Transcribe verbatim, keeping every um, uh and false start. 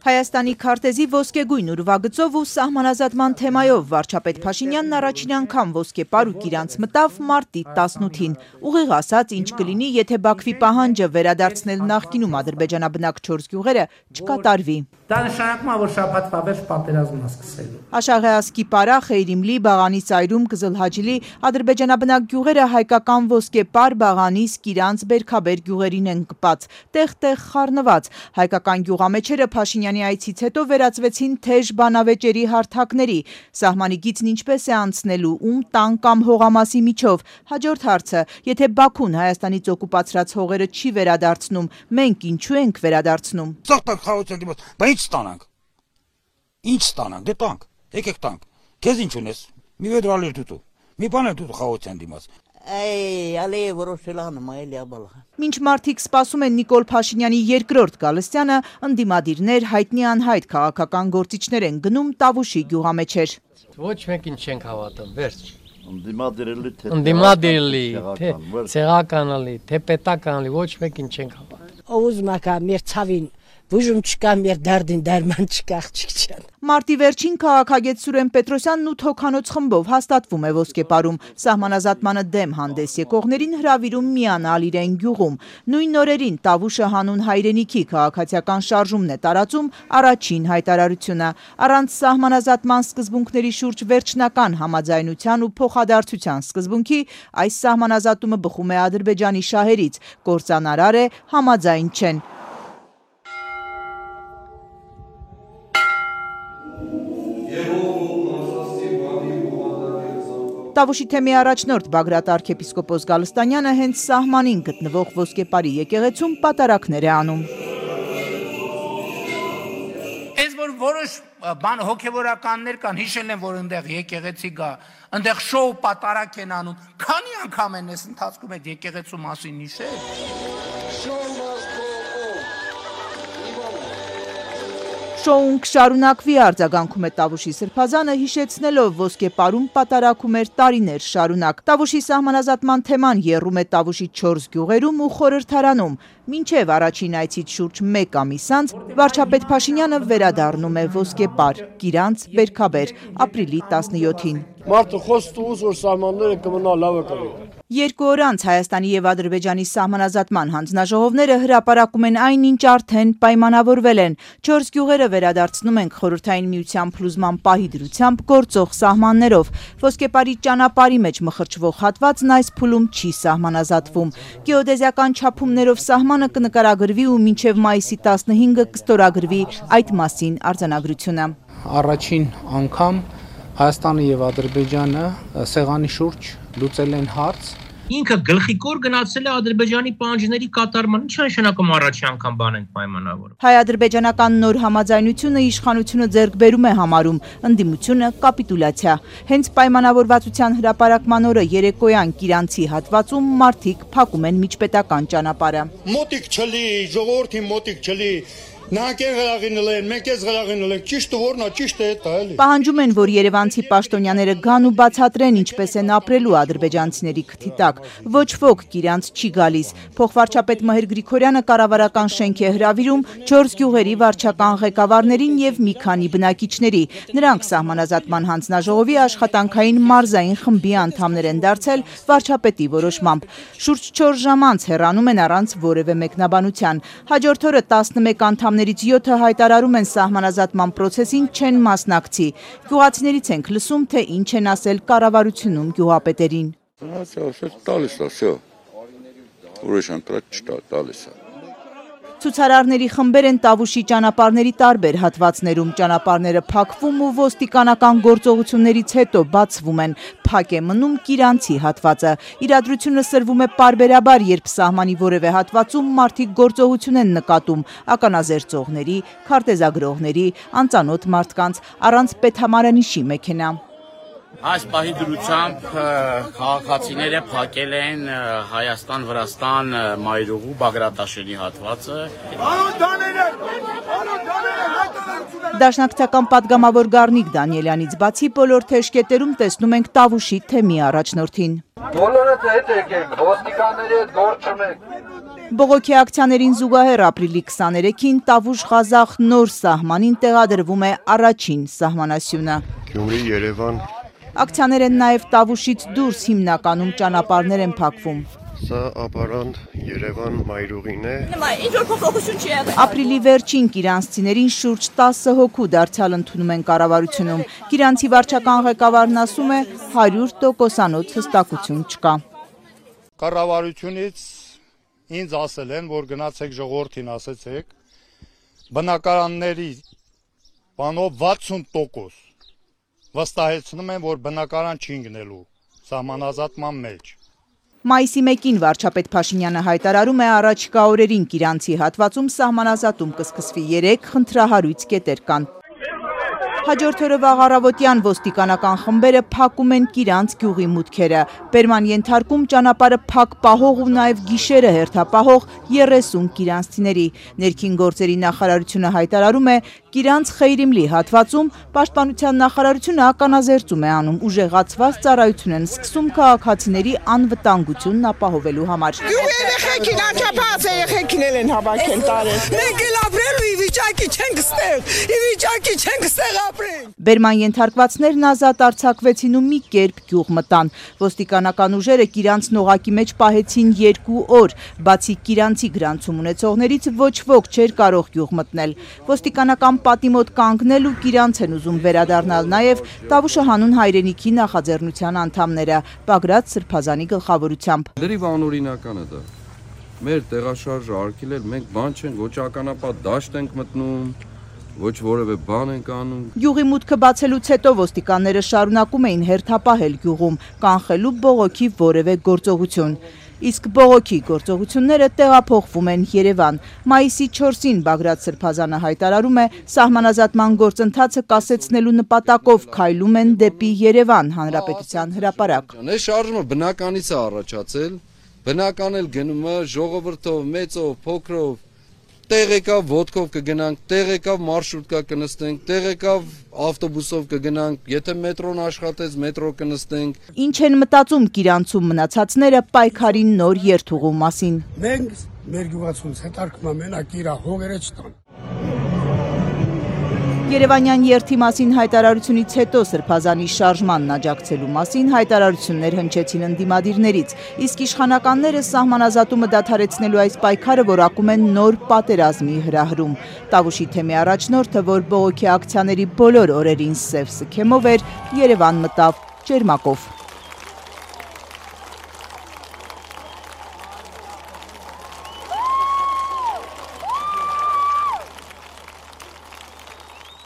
Հայաստանի քարտեզի ոսկեգույն ուրվագծով ու սահմանազատման թեմայով վարչապետ Փաշինյանն առաջին անգամ ոսկեպար ու Կիրանց մտավ մարտի տասնութին։ Ուղիղ ասած, ինչ կլինի, եթե Բաքվի պահանջը վերադարձնել նախկինում ադրբեջանաբնակ չորս գյուղերը չկատարվի։ Դա նշանակում է, որ շաբաթվա վերջ պատերազմը սկսելու։ Աշաղեասկի Պարա, Խեյրիմլի, Բաղանի Սայրում, Կզլհաջիլի ադրբեջանաբնակ գյուղերը հայկական ոսկեպար, Բաղանիս, Կիրանց, Բերքաբեր գյուղերին են կպած, տեղ-տեղ խառնված։ Հայկական գյուղամեջերը Փաշինյանի այցից հետո վերածվեցին թեժ բանավեճերի հարթակների։ Սահմանի գիծն ինչպես է անցնելու, ում տան կամ հողամասի միջով։ Հաջորդ հարցը, եթե Բաքուն Հայաստանից օկուպացրած հողերը չի վերադարձնում, մենք ինչու ենք վերադարձնում։ Ինչ ստանանք։ Ինչ ստանանք, դե տանք, եկեք տանք։ Քեզ ինչ ունես։ Մի վեդրալեր դուտու։ Մի բան էլ դուտու խաղացան դիմաց։ Այ ալե որոշելան մայելի աբալ։ Մինչ մարդիկ սպասում են Նիկոլ Փաշինյանի երկրորդ գալստյանը, ընդդիմադիրներ, հայտնի անհայտ քաղաքական գործիչներ են գնում Տավուշի գյուղամեջեր։ Ոչ մեկին չենք հավատում, վերջ։ Ընդդիմադիրելի թե Ընդդիմադիրելի, թե ցեղականալի, թե պետականալի, ոչ մեկին չենք հավատում։ Ուզում ակա մեր ցավին Բուժում չկա մեր դարդին դարման չկա աղջիկչան։ Մարտի վերջին քաղաքագետ Սուրեն Պետրոսյանն ութ հոգանոց խմբով հաստատվում է ոսկեպարում, սահմանազատմանը դեմ հանդես եկողներին հրավիրում միանալ իրեն գյուղում։ Նույն օրերին Տավուշը հանուն հայրենիքի քաղաքացիական շարժումն է տարածում առաջին հայտարարությունը։ Առանց սահմանազատման սկզբունքների շուրջ վերջնական համաձայնության ու փոխադարձության սկզբունքի այս սահմանազատումը բխում է Ադրբեջանի շահերից, կործանարար է, համաձայն չեն։ Տավուշի թեմի առաջնորդ Բագրատ arczepiskopos Գալստանյանը հենց սահմանին գտնվող ոսկեպարի եկեղեցում պատարակներ է անում։ Այս որ որոշ բան հոգևորականներ կան, հիշել են, որ այնտեղ եկեղեցի գա, այնտեղ շոու պատարակ են անում։ Քանի անգամ են այս ընթացքում այդ եկեղեցու մասին հիշել։ Շոուն կշարունակվի, արձագանքում է Տավուշի սրբազանը, հիշեցնելով ոսկեպարում պատարակում էր տարիներ շարունակ։ Տավուշի սահմանազատման թեման եռում է Տավուշի չորս գյուղերում ու խորհրդարանում։ Մինչև առաջին այցից շուրջ մեկ ամիս անց վարչապետ Փաշինյանը վերադառնում է ոսկեպար, Կիրանց, Բերքաբեր, ապրիլի տասնյոթին։ Մարդը խոստում ուզ, որ սահմանները կմնա լավը կլի։ Երկու օր անց Հայաստանի եւ Ադրբեջանի սահմանազատման հանձնաժողովները հրապարակում են այնինչ արդեն պայմանավորվել են։ Չորս գյուղերը վերադարձնում ենք Խորհրդային Միության փլուզման պահի դրությամբ գործող սահմաններով։ Ոսկեպարի ճանապարհի մեջ մխրճվող հատվածն այս փուլում չի սահմանազատվում։ Գեոդեզիական չափումներով սահմանը կնկարագրվի ու մինչև մայիսի տասնհինգը կստորագրվի այդ մասին արձանագրությունը։ Առաջին անգամ Հայաստանը եւ Ադրբեջանը սեղանի շուրջ լուծել են հարց։ Ինքը գլխիկոր գնացել է Ադրբեջանի պահանջների կատարման, ինչ նշանակում առաջի անգամ բան ենք պայմանավորում։ Հայ-ադրբեջանական նոր համաձայնությունը իշխանությունը ձեռք բերում է համարում, ընդդիմությունը կապիտուլյացիա։ Հենց պայմանավորվածության հրապարակման օրը երեկոյան Կիրանցի հատվածում մարդիկ փակում են միջպետական ճանապարհը։ Մոտիկ չլի, ժողովրդին մոտիկ չլի։ Նանկեր գլաղինել են, մենք ես գլաղինել ենք, ճիշտը որն է, ճիշտը է դա էլի։ Պահանջում են, որ երևանցի պաշտոնյաները գան ու բացատրեն ինչպես են ապրելու ադրբեջանցիների քթի տակ։ Ոչ ոք Կիրանց չի գալիս։ Փոխվարչապետ Մհեր Գրիգորյանը կառավարական շենք է հրավիրում չորս գյուղերի վարչական ղեկավարներին եւ մի քանի բնակիչների։ Նրանք սահմանազատման հանձնաժողովի աշխատանքային մարզային խմբի անդամներ են դարձել վարչապետի որոշմամբ։ Շուրջ չորս ժամ անց հեռանում են առանց որևէ մեկնաբանության։ Հաջորդ օրը տասնմեկ անդամներից յոթը հայտարարում են սահմանազատման պրոցեսին չեն մասնակցի։ Գյուղացիներից ենք լսում, թե ինչ են ասել կառավարությունում գյուղապետերին։ Ցուցարարների խմբեր են Տավուշի ճանապարհների տարբեր հատվածներում, ճանապարհները փակվում ու ոստիկանական գործողություններից հետո բացվում են, փակ է մնում Կիրանցի հատվածը։ Իրադրությունը սրվում է պարբերաբար, երբ սահմանի որևէ հատվածում մարդիկ գործողություն են նկատում, ականազերծողների, քարտեզագրողների, անծանոթ մարդկանց, առանց պետհամարանիշի մեքենա։ Այս պահի դրությամբ քաղաքացիները փակել են Հայաստան-Վրաստան մայրուղու Բագրատաշենի հատվածը։ Դաշնակցական պատգամավոր Գառնիկ Դանիելյանից բացի բոլոր թեժկետերում տեսնում ենք Տավուշի թեմի առաջնորդին։ Բոլորը հետ եկեք, ոստիկանների հետ գործ չունենք։ Բողոքի ակցիաներին զուգահեռ ապրիլի քսաներեքին Տավուշ-Ղազախ նոր սահմանին տեղադրվում է առաջին սահմանասյունը։ Գյումրի-Երևան Ակցիաներ են նաև Տավուշից դուրս հիմնականում ճանապարհներ են փակվում։ Սա ապարանտ Երևան մայրուղին է։ Ապրիլի վերջին կիրանցիներին շուրջ տասը հոգու դարձյալ ընդունում են կառավարությունում։ Կիրանցի վարչական ղեկավարն ասում է հարյուր տոկոսանոց հստակություն չկա։ Կառավարությունից ինձ ասել են, որ գնացեք ժողովրդին ասեցեք, բնակարանների բանով վաթսուն տոկոս վստահեցնում են, որ բնակարան չի գնելու սահմանազատման մեջ։ Մայիսի մեկին վարչապետ Փաշինյանը հայտարարում է առաջիկա օրերին Կիրանցի հատվածում սահմանազատում կսկսվի երեք խնդրահարույց կետեր կան։ Հաջորդ օրը վաղ առավոտյան ոստիկանական խմբերը փակում են Կիրանց գյուղի մուտքերը։ Բերման ենթարկում ճանապարհը փակ պահող ու նաև գիշերը հերթապահող երեսուն կիրանցիների։ Ներքին գործերի նախարարությունը հայտարարում է Կիրանց Խեյրիմլի հատվածում Պաշտպանության նախարարությունը ականազերծում է անում ուժեղացված ծառայություն են սկսում քաղաքացիների անվտանգությունն ապահովելու համար։ Երեխեքին անչափահաս երեխեքին են հավաքել տարել։ Մենք էլ ապրելու ի վիճակի չենք ստեղ, ի վիճակի չենք ստեղ ապրել։ Բերման ենթարկվածներն ազատ արձակվեցին ու մի կերպ գյուղ մտան։ Ոստիկանական ուժերը Կիրանց նողակի մեջ պահեցին երկու օր, բացի Կիրանցի գրանցում ունեցողներից ոչ ոք չէր կարող գյուղ մտնել։ Ոստիկանական պատի մոտ կանգնել ու Կիրանց են ուզում վերադառնալ նաև Տավուշը հանուն հայրենիքի նախաձեռնության անդամները, Բագրատ Սրբազանի գլխավորությամբ։ Լրիվ անօրինական է դա։ Մեր տեղաշարժը արգելել, մենք բան չենք, ոչ ականապատ դաշտ ենք մտնում, ոչ որևէ բան ենք անում։ Գյուղի մուտքը բացելուց հետո ոստիկանները շարունակում էին հերթապահել գյուղում, կանխելու բողոքի որևէ գործողություն։ Իսկ բողոքի գործողությունները տեղափոխվում են Երևան։ Մայիսի չորսին Բագրատ Սրբազանը հայտարարում է, սահմանազատման գործընթացը կասեցնելու նպատակով քայլում են դեպի Երևան հանրապետության հրապարակ։ Այս շարժումը բնականից է առաջացել, բնական էլ գնում է ժողովրդով, մեծով, փոքրով, տեղ եկավ ոտքով կգնանք, տեղ եկավ մարշրուտկա կնստենք, տեղ եկավ ավտոբուսով կգնանք, եթե մետրոն աշխատեց, մետրո կնստենք։ Ինչ են մտածում Կիրանցում մնացածները պայքարի նոր երթուղու մասին։ Մենք մեր գյուղացունց հետարկում է մենակ իրա հողերը չտան։ Երևանյան երթի մասին հայտարարությունից հետո Սրբազանի շարժմանն աջակցելու մասին հայտարարություններ հնչեցին ընդդիմադիրներից, իսկ իշխանականները սահմանազատումը դադարեցնելու այս պայքարը որակում են նոր պատերազմի հրահրում։ Տավուշի թեմի առաջնորդը, որ բողոքի ակցիաների բոլոր օրերին սև սքեմով էր, Երևան մտավ ճերմակով։